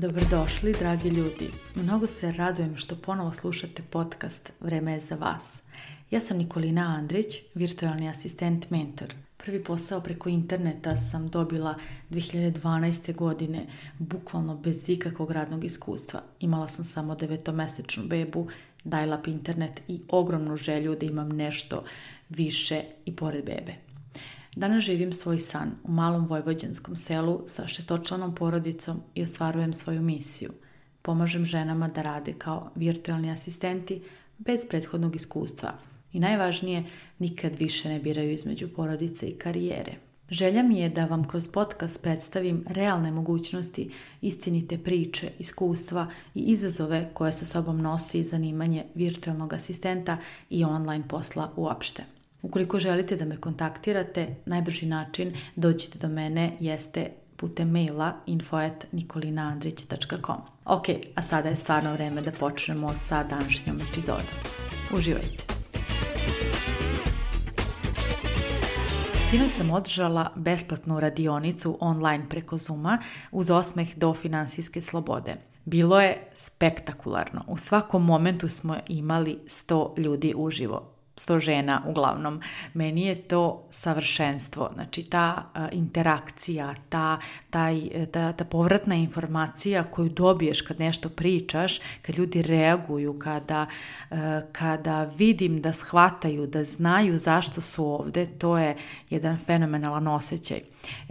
Dobrodošli, dragi ljudi. Mnogo se radujem što ponovo slušate podcast Vreme je za vas. Ja sam Nikolina Andrić, virtualni asistent mentor. Prvi posao preko interneta sam dobila 2012. godine, bukvalno bez ikakvog radnog iskustva. Imala sam samo 9-mesečnu bebu, dial-up internet i ogromnu želju da imam nešto više i pored bebe. Danas živim svoj san u malom vojvođanskom selu sa 6-članom porodicom i ostvarujem svoju misiju. Pomažem ženama da rade kao virtualni asistenti bez prethodnog iskustva i najvažnije, nikad više ne biraju između porodice i karijere. Želja mi je da vam kroz podcast predstavim realne mogućnosti, istinite priče, iskustva i izazove koje sa sobom nosi zanimanje virtualnog asistenta i online posla uopšte. Ukoliko želite da me kontaktirate, najbrži način dođite do mene jeste putem maila info@nikolinaandrić.com. Ok, a sada je stvarno vreme da počnemo sa današnjom epizodom. Uživajte! Sinoć sam održala besplatnu radionicu online preko Zooma uz osmeh do finansijske slobode. Bilo je spektakularno. U svakom momentu smo imali 100 ljudi uživo. 100 žena uglavnom. Meni je to savršenstvo. Znači ta interakcija, ta povratna informacija koju dobiješ kad nešto pričaš, kad ljudi reaguju, kada vidim da shvataju, da znaju zašto su ovde, to je jedan fenomenalan osjećaj.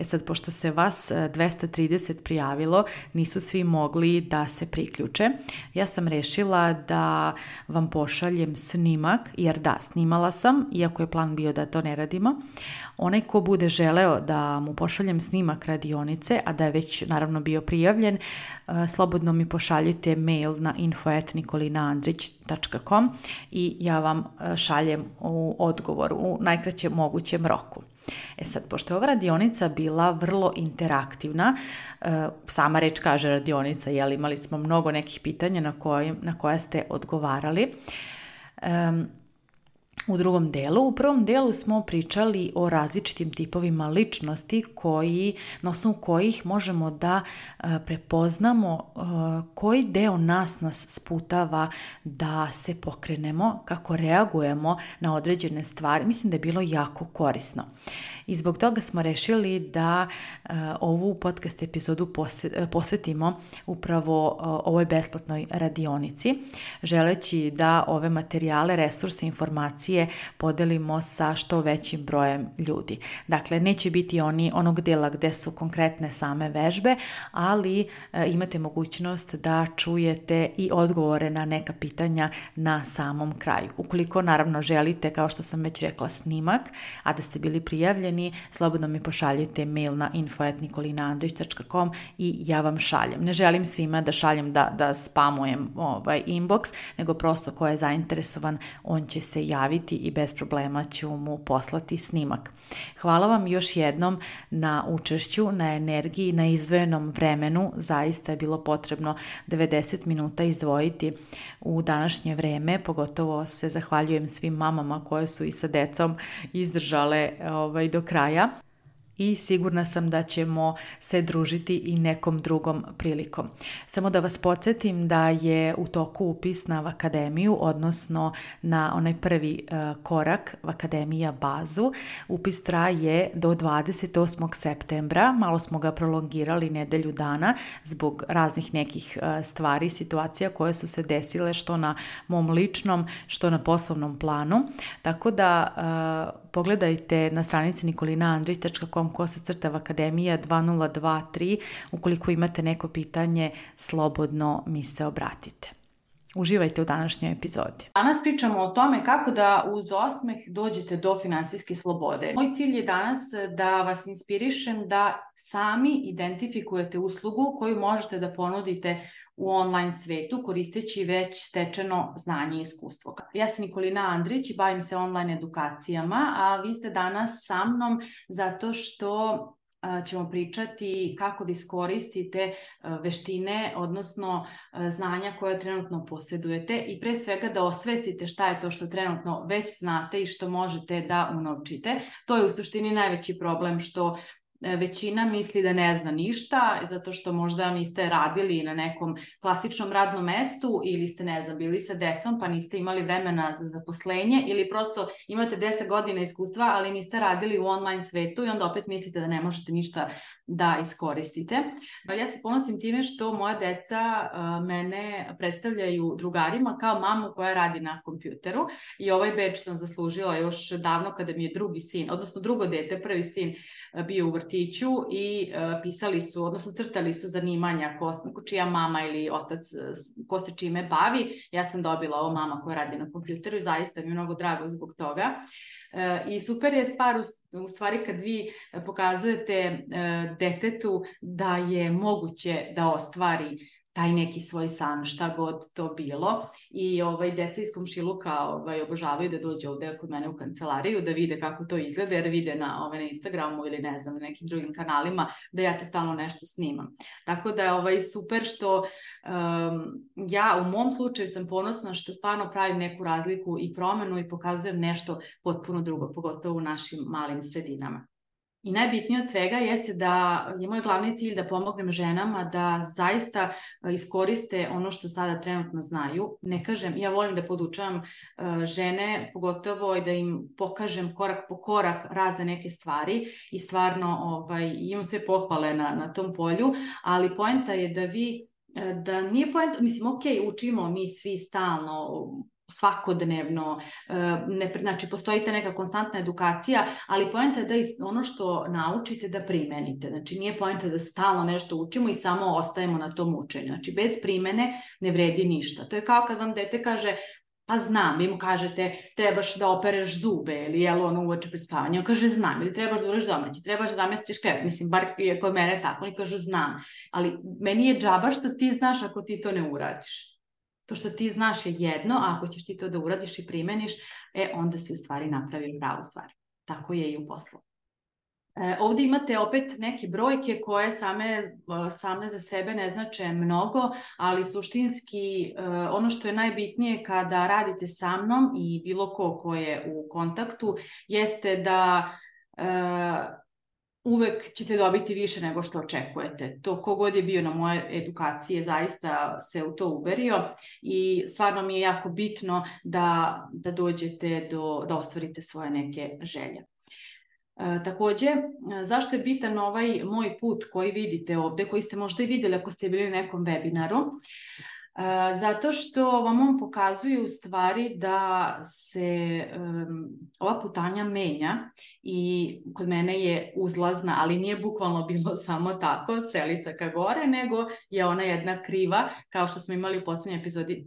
Sad, pošto se vas 230 prijavilo, nisu svi mogli da se priključe. Ja sam rešila da vam pošaljem snimak, jer da, snimala sam, iako je plan bio da to ne radimo. Onaj ko bude želeo da mu pošaljem snimak radionice, a da je već naravno bio prijavljen, slobodno mi pošaljite mail na info@nikolinaandrić.com i ja vam šaljem u odgovor u najkraćem mogućem roku. Sad, pošto je ova radionica bila vrlo interaktivna, sama reč kaže radionica, imali smo mnogo nekih pitanja na koja ste odgovarali. U prvom delu smo pričali o različitim tipovima ličnosti na osnovu kojih možemo da prepoznamo koji deo nas sputava da se pokrenemo, kako reagujemo na određene stvari. Mislim da je bilo jako korisno. I zbog toga smo rešili da ovu podcast epizodu posvetimo upravo ovoj besplatnoj radionici, želeći da ove materijale, resurse, informacije podelimo sa što većim brojem ljudi. Dakle, neće biti onog dela gde su konkretne same vežbe, ali imate mogućnost da čujete i odgovore na neka pitanja na samom kraju. Ukoliko naravno želite, kao što sam već rekla, snimak, a da ste bili prijavljeni, slobodno mi pošaljite mail na info@nikolinaandrić.com i ja vam šaljem. Ne želim svima da šaljem da spamujem inbox, nego prosto ko je zainteresovan, on će se javiti i bez problema ću mu poslati snimak. Hvala vam još jednom na učešću, na energiji, na izdvojenom vremenu. Zaista je bilo potrebno 90 minuta izdvojiti u današnje vreme. Pogotovo se zahvaljujem svim mamama koje su i sa decom izdržale do kraja. I sigurna sam da ćemo se družiti i nekom drugom prilikom. Samo da vas podsjetim da je u toku upis na Vakademiju, odnosno na onaj prvi korak Vakademija bazu. Upis traje do 28. septembra, malo smo ga prolongirali nedelju dana zbog raznih nekih stvari, situacija koje su se desile što na mom ličnom, što na poslovnom planu. Tako da pogledajte na stranici nikolinaandrić.com /Vakademija 2023. Ukoliko imate neko pitanje, slobodno mi se obratite. Uživajte u današnjoj epizodi. Danas pričamo o tome kako da uz osmeh dođete do finansijske slobode. Moj cilj je danas da vas inspirišem da sami identifikujete uslugu koju možete da ponudite u online svetu koristeći već stečeno znanje i iskustvo. Ja sam Nikolina Andrić i bavim se online edukacijama, a vi ste danas sa mnom zato što ćemo pričati kako da iskoristite veštine, odnosno znanja koje trenutno posjedujete i pre svega da osvestite šta je to što trenutno već znate i što možete da unovčite. To je u suštini najveći problem što većina misli da ne zna ništa, zato što možda niste radili na nekom klasičnom radnom mestu ili ste, ne znam, bili sa decom pa niste imali vremena za zaposlenje ili prosto imate 10 godina iskustva, ali niste radili u online svetu i onda opet mislite da ne možete ništa da iskoristite. Ja se ponosim time što moja deca mene predstavljaju drugarima kao mamu koja radi na kompjuteru i ovaj bedž sam zaslužila još davno kada mi je drugi sin, odnosno drugo dete, prvi sin bio u vrtiću i pisali su, odnosno crtali su zanimanja čija mama ili otac ko se čime bavi. Ja sam dobila ovo mama koja radi na kompjuteru i zaista mi je mnogo drago zbog toga. I super je stvar u stvari kad vi pokazujete detetu da je moguće da ostvari taj neki svoj san, šta god to bilo. I deca iz komšiluka obožavaju da dođu ovde kod mene u kancelariju, da vide kako to izgleda, jer vide na Instagramu ili ne znam, na nekim drugim kanalima, da ja to stalno nešto snimam. Tako da je super što ja u mom slučaju sam ponosna što stvarno pravim neku razliku i promenu i pokazujem nešto potpuno drugo, pogotovo u našim malim sredinama. I najbitnije od svega jeste da je moj glavni cilj da pomognem ženama da zaista iskoriste ono što sada trenutno znaju. Ne kažem, ja volim da podučavam žene, pogotovo i da im pokažem korak po korak razne neke stvari i stvarno imam sve pohvale na tom polju, ali poenta je da da nije poenta, mislim, ok, učimo mi svi stalno, svakodnevno, znači postoji ta neka konstantna edukacija, ali poenta je da ono što naučite da primenite. Znači nije poenta da stalno nešto učimo i samo ostajemo na tom učenju. Znači bez primene ne vredi ništa. To je kao kad vam dete kaže pa znam, vi mu kažete trebaš da opereš zube ili uveče pred spavanje, on kaže znam, ili trebaš da uraš domaći, trebaš da namestiš krevet, mislim, bar je kod mene tako, oni kažu znam, ali meni je džaba što ti znaš ako ti to ne uradiš. To što ti znaš je jedno, a ako ćeš ti to da uradiš i primeniš, onda si u stvari napravio pravu stvar. Tako je i u poslu. Ovdje imate opet neke brojke koje same za sebe ne znače mnogo, ali suštinski ono što je najbitnije kada radite sa mnom i bilo ko je u kontaktu jeste da uvek ćete dobiti više nego što očekujete. To kogod je bio na moje edukacije zaista se u to uverio i stvarno mi je jako bitno da dođete da ostvarite svoje neke želje. Takođe, zašto je bitan ovaj moj put koji vidite ovde, koji ste možda i videli ako ste bili na nekom webinaru? Zato što vam on pokazuje u stvari da se ova putanja menja i kod mene je uzlazna, ali nije bukvalno bilo samo tako, strelica ka gore, nego je ona jedna kriva, kao što smo imali u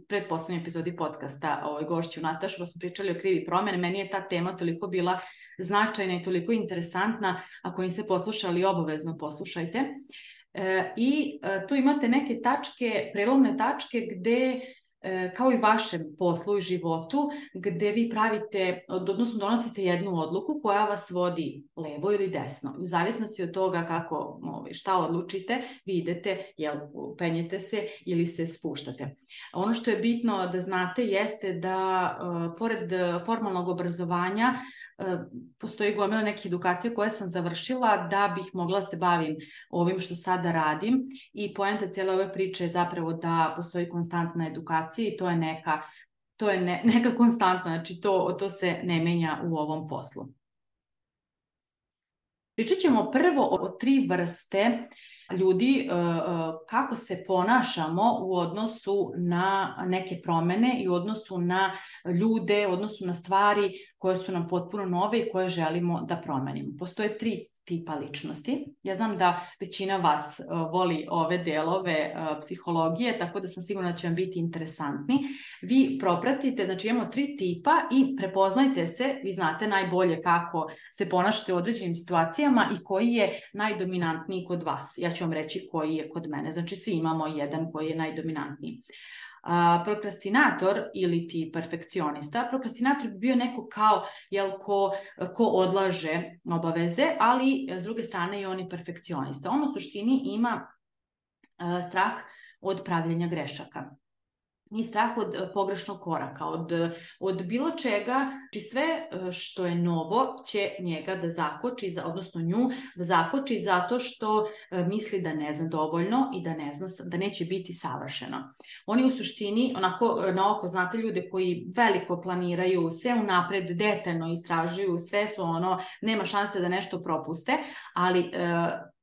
predposlednjoj epizodi podcasta gošću Natašu, pa smo pričali o krivi promene. Meni je ta tema toliko bila značajna i toliko interesantna, ako niste poslušali, obavezno poslušajte. I tu imate neke prelomne tačke gde, kao i vašem poslu i životu, gde vi odnosno donosite jednu odluku koja vas vodi levo ili desno. U zavisnosti od toga šta odlučite, vi idete, penjete se ili se spuštate. Ono što je bitno da znate jeste da pored formalnog obrazovanja postoji gomila nekih edukacija koje sam završila da bih mogla se bavim ovim što sada radim i poenta cijele ove priče je zapravo da postoji konstantna edukacija i to je neka konstantna, znači to se ne menja u ovom poslu. Pričat ćemo prvo o 3 vrste ljudi, kako se ponašamo u odnosu na neke promene i u odnosu na ljude, u odnosu na stvari koje su nam potpuno nove i koje želimo da promenimo. Postoje 3 tipa ličnosti. Ja znam da većina vas voli ove delove psihologije, tako da sam sigurna da će vam biti interesantni. Vi propratite, znači imamo 3 tipa i prepoznajte se, vi znate najbolje kako se ponašate u određenim situacijama i koji je najdominantniji kod vas. Ja ću vam reći koji je kod mene, znači svi imamo jedan koji je najdominantniji. Prokrastinator ili ti perfekcionista. Prokrastinator bi bio neko kao ko odlaže obaveze, ali s druge strane i on je perfekcionista. On u suštini ima strah od pravljenja grešaka. i strah od pogrešnog koraka, od bilo čega, znači sve što je novo će njega da zakoči, odnosno nju da zakoči zato što misli da ne zna dovoljno i da ne zna, da neće biti savršeno. Oni u suštini, onako na oko znate ljude koji veliko planiraju, sve unapred detaljno istražuju, sve su nema šanse da nešto propuste, ali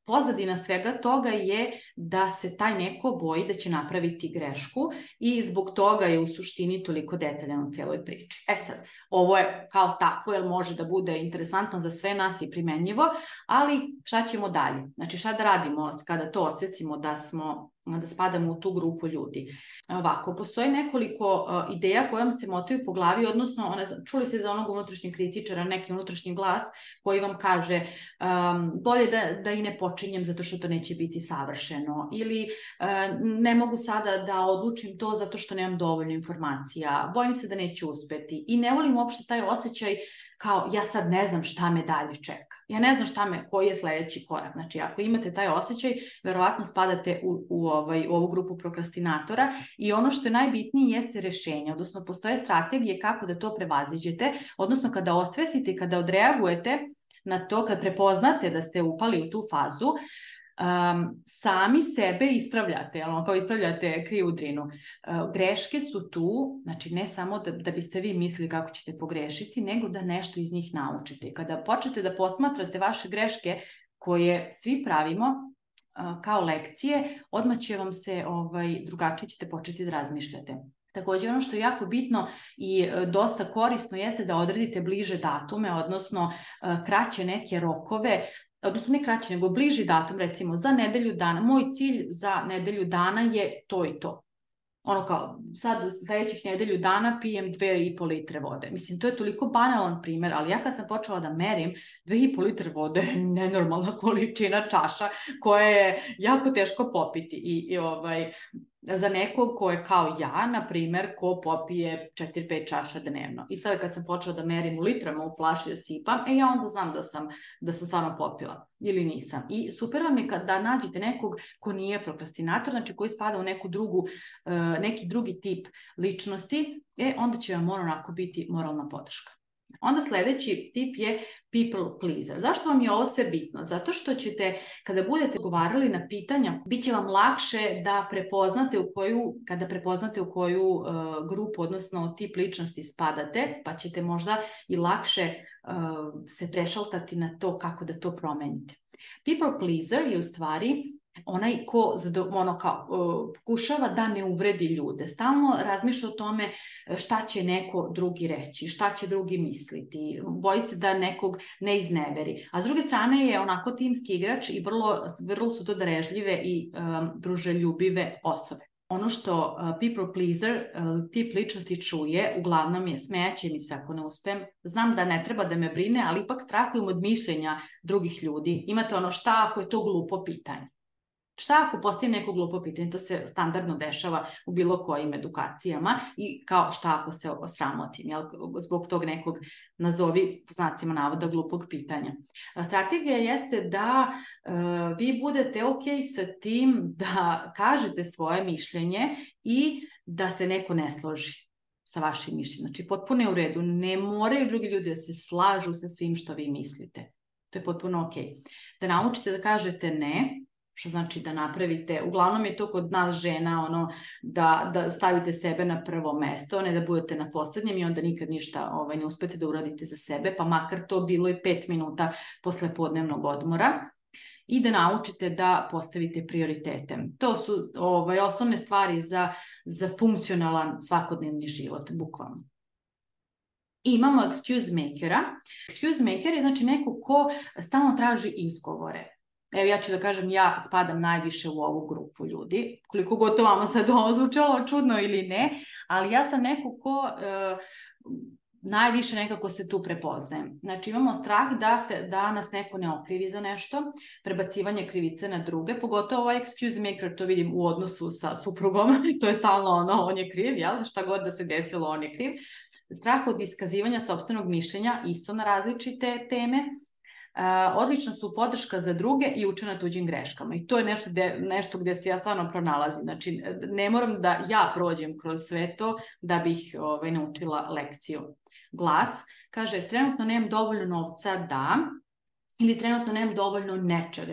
pozadina svega toga je da se taj neko boji da će napraviti grešku i zbog toga je u suštini toliko detaljan u cijeloj priči. Sad, ovo je kao takvo, jer može da bude interesantno za sve nas i primenjivo, ali šta ćemo dalje? Znači, šta da radimo kada to osvestimo da spadamo u tu grupu ljudi? Ovako, postoji nekoliko ideja koje vam se motaju po glavi, odnosno čuli se za onog unutrašnjeg kritičara, neki unutrašnji glas koji vam kaže bolje da i ne počinjem zato što to neće biti savršeno, ili ne mogu sada da odlučim to zato što nemam dovoljno informacija, bojim se da neću uspeti i ne volim uopšte taj osjećaj kao ja sad ne znam šta me dalje čeka. Ja ne znam koji je sledeći korak. Znači, ako imate taj osjećaj, verovatno spadate u ovu grupu prokrastinatora i ono što je najbitnije jeste rešenje, odnosno postoje strategije kako da to prevaziđete, odnosno kada osvestite, kada odreagujete na to, kad prepoznate da ste upali u tu fazu, sami sebe ispravljate, kao ispravljate krivu drinu. Greške su tu, znači ne samo da biste vi mislili kako ćete pogrešiti, nego da nešto iz njih naučite. Kada počnete da posmatrate vaše greške koje svi pravimo kao lekcije, odmah će vam se drugačije ćete početi da razmišljate. Također ono što je jako bitno i dosta korisno jeste da odredite bliže datume, odnosno kraće neke rokove, odnosno ne kraće, nego bliži datum, recimo za nedelju dana. Moj cilj za nedelju dana je to i to. Kao, sad sledećih nedelju dana pijem 2,5 litre vode. Mislim, to je toliko banalan primer, ali ja kad sam počela da merim, 2,5 litre vode je nenormalna količina čaša koja je jako teško popiti. I za nekog ko je kao ja, na primer, ko popije 4-5 čaša dnevno. I sada kad sam počela da merim u litrama u flaši da sipam, ja onda znam da sam stvarno popila ili nisam. I super vam je da nađete nekog ko nije prokrastinator, znači koji spada u neki drugi tip ličnosti, onda će vam onako biti moralna podrška. Onda sledeći tip je people pleaser. Zašto vam je ovo sve bitno? Zato što ćete, kada budete odgovarali na pitanja, bit će vam lakše da prepoznate u koju grupu, odnosno tip ličnosti spadate, pa ćete možda i lakše se prešaltati na to kako da to promenite. People pleaser je u stvari onaj ko pokušava da ne uvredi ljude. Stalno razmišlja o tome šta će neko drugi reći, šta će drugi misliti, boji se da nekog ne izneveri. A s druge strane je onako timski igrač i vrlo su to darežljive i druželjubive osobe. Ono što people pleaser, tip ličnosti čuje, uglavnom je smejaće mi se ako ne uspem. Znam da ne treba da me brine, ali ipak strahujem od mišljenja drugih ljudi. Imate šta ako je to glupo pitanje? Šta ako postavim neko glupo pitanje? To se standardno dešava u bilo kojim edukacijama i kao šta ako se osramotim, zbog tog nekog, nazovi po znacima navoda, glupog pitanja. Strategija jeste da vi budete ok sa tim da kažete svoje mišljenje i da se neko ne složi sa vašim mišljenjem. Znači, potpuno je u redu. Ne moraju drugi ljudi da se slažu sa svim što vi mislite. To je potpuno ok. Da naučite da kažete ne, što znači da napravite, uglavnom je to kod nas žena, da stavite sebe na prvo mesto, ne da budete na poslednjem i onda nikad ništa ne uspete da uradite za sebe, pa makar to bilo i 5 minuta posle podnevnog odmora. I da naučite da postavite prioritete. To su osnovne stvari za funkcionalan svakodnevni život, bukvalno. I imamo excuse makera. Excuse maker je znači neko ko stalno traži izgovore. Evo, ja ću da kažem, ja spadam najviše u ovu grupu ljudi, koliko god to vama sad ovo zvučalo čudno ili ne, ali ja sam neko ko najviše nekako se tu prepoznajem. Znači, imamo strah da nas neko ne okrivi za nešto, prebacivanje krivice na druge, pogotovo ovaj excuse maker, to vidim u odnosu sa suprugom, to je stalno on je kriv, šta god da se desilo, on je kriv. Strah od iskazivanja sopstvenog mišljenja, isto na različite teme. odlična su podrška za druge i uče na tuđim greškama. I to je nešto gdje se ja stvarno pronalazim. Znači, ne moram da ja prođem kroz sve to da bih naučila lekciju. Glas kaže, trenutno nemam dovoljno novca da, ili trenutno nemam dovoljno nečega,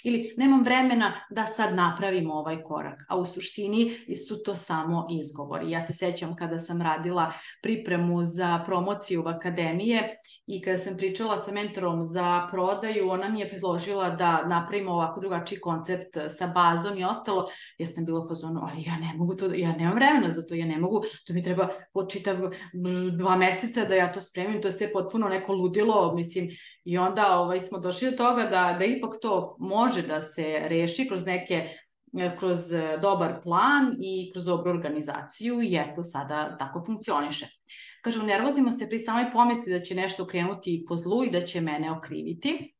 ili nemam vremena da sad napravim ovaj korak. A u suštini su to samo izgovori. Ja se sećam kada sam radila pripremu za promociju akademije i kada sam pričala sa mentorom za prodaju, ona mi je predložila da napravimo ovako drugačiji koncept sa bazom i ostalo. Ja sam bila u fazonu, ali ja ne mogu to, ja nemam vremena za to, ja ne mogu, to mi treba počitav 2 meseca da ja to spremim, to je sve potpuno neko ludilo, mislim. I onda smo došli do toga da ipak to može da se reši kroz dobar plan i kroz dobru organizaciju i eto sada tako funkcioniše. Kažem, nervozimo se pri samoj pomisli da će nešto krenuti po zlu i da će mene okriviti.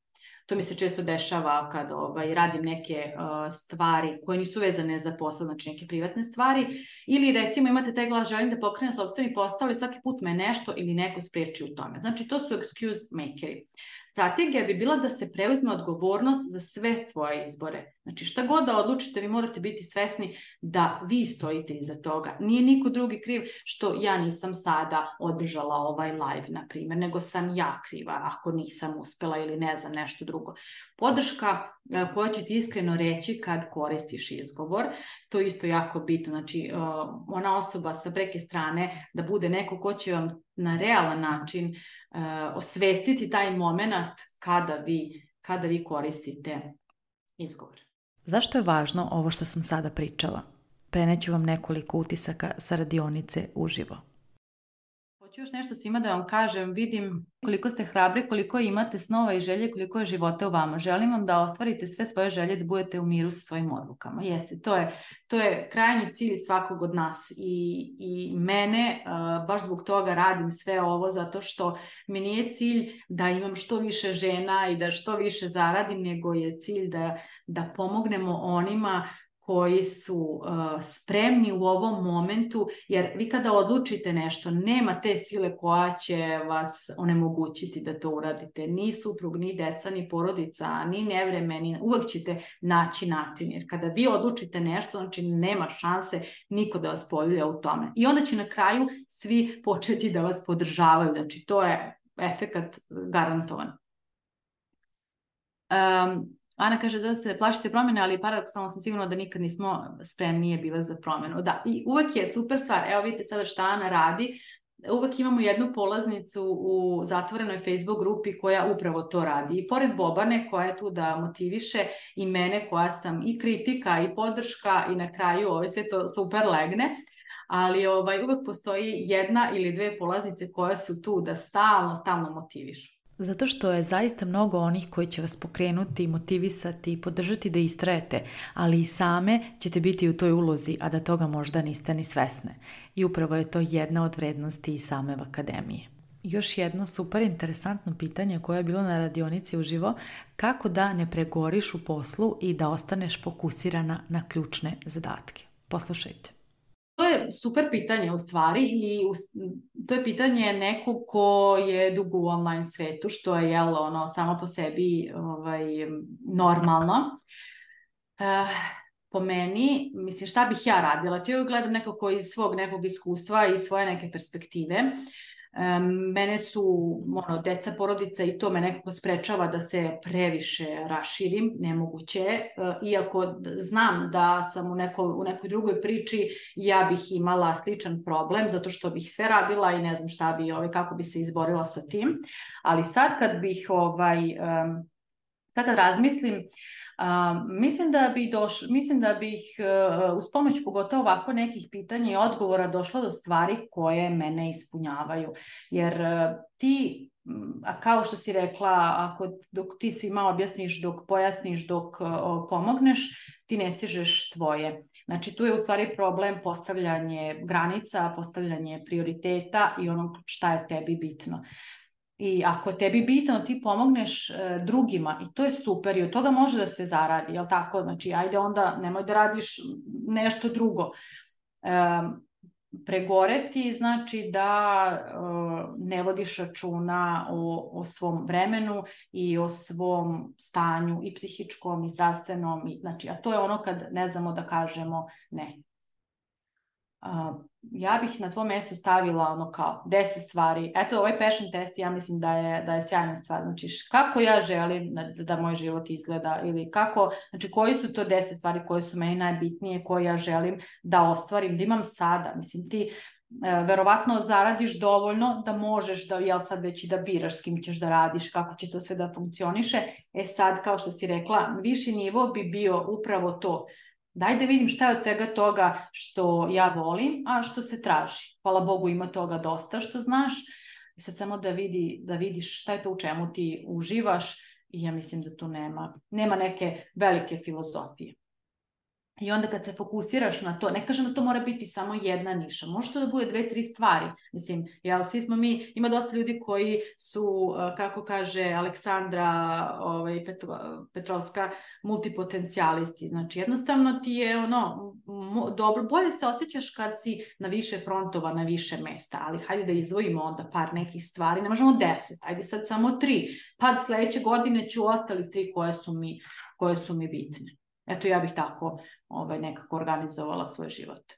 To mi se često dešava kad radim neke stvari koje nisu vezane za posao, znači neke privatne stvari. Ili recimo imate taj glas, želim da pokrenem sopstveni posao, ali svaki put me nešto ili neko spreči u tome. Znači to su excuse makeri. Strategija bi bila da se preuzme odgovornost za sve svoje izbore. Znači šta god da odlučite, vi morate biti svesni da vi stojite iza toga. Nije niko drugi kriv što ja nisam sada održala ovaj live, na primjer, nego sam ja kriva ako nisam uspela ili ne znam nešto drugo. Podrška koja će ti iskreno reći kad koristiš izgovor, to je isto jako bitno. Znači ona osoba sa preke strane da bude neko ko će vam na realan način osvestiti taj moment kada vi koristite izgovor. Zašto je važno ovo što sam sada pričala? Preneću vam nekoliko utisaka sa radionice uživo. Hoću još nešto svima da vam kažem, vidim koliko ste hrabri, koliko imate snova i želje, koliko je života u vama. Želim vam da ostvarite sve svoje želje, da budete u miru sa svojim odlukama. Jeste, to je krajnji cilj svakog od nas i mene, baš zbog toga radim sve ovo, zato što mi nije cilj da imam što više žena i da što više zaradim, nego je cilj da pomognemo onima koji su spremni u ovom momentu, jer vi kada odlučite nešto, nema te sile koja će vas onemogućiti da to uradite. Ni suprug, ni deca, ni porodica, ni nevreme, uvek ćete naći način, jer kada vi odlučite nešto, znači nema šanse niko da vas poljulja u tome. I onda će na kraju svi početi da vas podržavaju, znači to je efekat garantovan. Ana kaže da se plašite promjene, ali paradoksalno sam sigurna da nikad nismo spremnije bile za promjenu. Da, i uvek je super stvar. Evo vidite sada šta Ana radi. Uvek imamo jednu polaznicu u zatvorenoj Facebook grupi koja upravo to radi. I pored Bobane koja je tu da motiviše i mene koja sam i kritika i podrška i na kraju sve to super legne. Ali uvek postoji jedna ili dve polaznice koje su tu da stalno motivišu. Zato što je zaista mnogo onih koji će vas pokrenuti, motivisati i podržati da istrajete, ali i same ćete biti u toj ulozi, a da toga možda niste ni svesne. I upravo je to jedna od vrednosti i same akademije. Još jedno super interesantno pitanje koje je bilo na radionici uživo, kako da ne pregoriš u poslu i da ostaneš fokusirana na ključne zadatke. Poslušajte. To je super pitanje u stvari i to je pitanje nekog ko je dugo u online svetu, što je samo po sebi normalno. Po meni, mislim, šta bih ja radila? To je gledam nekako iz svog nekog iskustva i svoje neke perspektive. Mene su deca, porodica i to me nekako sprečava da se previše raširim, nemoguće. Iako znam da sam u nekoj drugoj priči, ja bih imala sličan problem, zato što bih sve radila i ne znam šta bi, kako bi se izborila sa tim. Ali sad kad razmislim, mislim da bih uz pomoć pogotovo ovako nekih pitanja i odgovora došla do stvari koje mene ispunjavaju. Jer ti, kao što si rekla, dok ti svima objasniš, dok pojasniš, dok pomogneš, ti ne stižeš tvoje. Znači tu je u stvari problem postavljanje granica, postavljanje prioriteta i ono šta je tebi bitno. I ako tebi bitno, ti pomogneš drugima i to je super i od toga može da se zaradi, jel tako? Znači, ajde onda, nemoj da radiš nešto drugo. Pregoreti znači da ne vodiš računa o svom vremenu i o svom stanju i psihičkom i zdravstvenom, znači, a to je ono kad ne znamo da kažemo ne. Ja bih na tvoj mjestu stavila ono kao 10 stvari. Eto, ovaj passion test ja mislim da je sjajna stvar. Znači, kako ja želim da moj život izgleda ili kako, znači koji su to 10 stvari koje su meni najbitnije, koje ja želim da ostvarim, da imam sada. Mislim, ti verovatno zaradiš dovoljno da možeš da, jel sad već i da biraš s kim ćeš da radiš, kako će to sve da funkcioniše. Sad, kao što si rekla, viši nivo bi bio upravo to. Daj da vidim šta je od svega toga što ja volim, a što se traži. Hvala Bogu, ima toga dosta što znaš. I sad samo da vidiš šta je to u čemu ti uživaš i ja mislim da tu nema neke velike filozofije. I onda kad se fokusiraš na to, ne kažem da to mora biti samo jedna niša, može to da bude 2-3 stvari. Mislim, jel, svi smo mi, ima dosta ljudi koji su, kako kaže Aleksandra Petrovska, multipotencijalisti. Znači, jednostavno ti je dobro, bolje se osjećaš kad si na više frontova, na više mesta, ali hajde da izdvojimo onda par nekih stvari, ne možemo 10, hajde sad samo 3, pa sledeće godine ću ostalih 3 koje su mi bitne. Eto, ja bih tako nekako organizovala svoj život.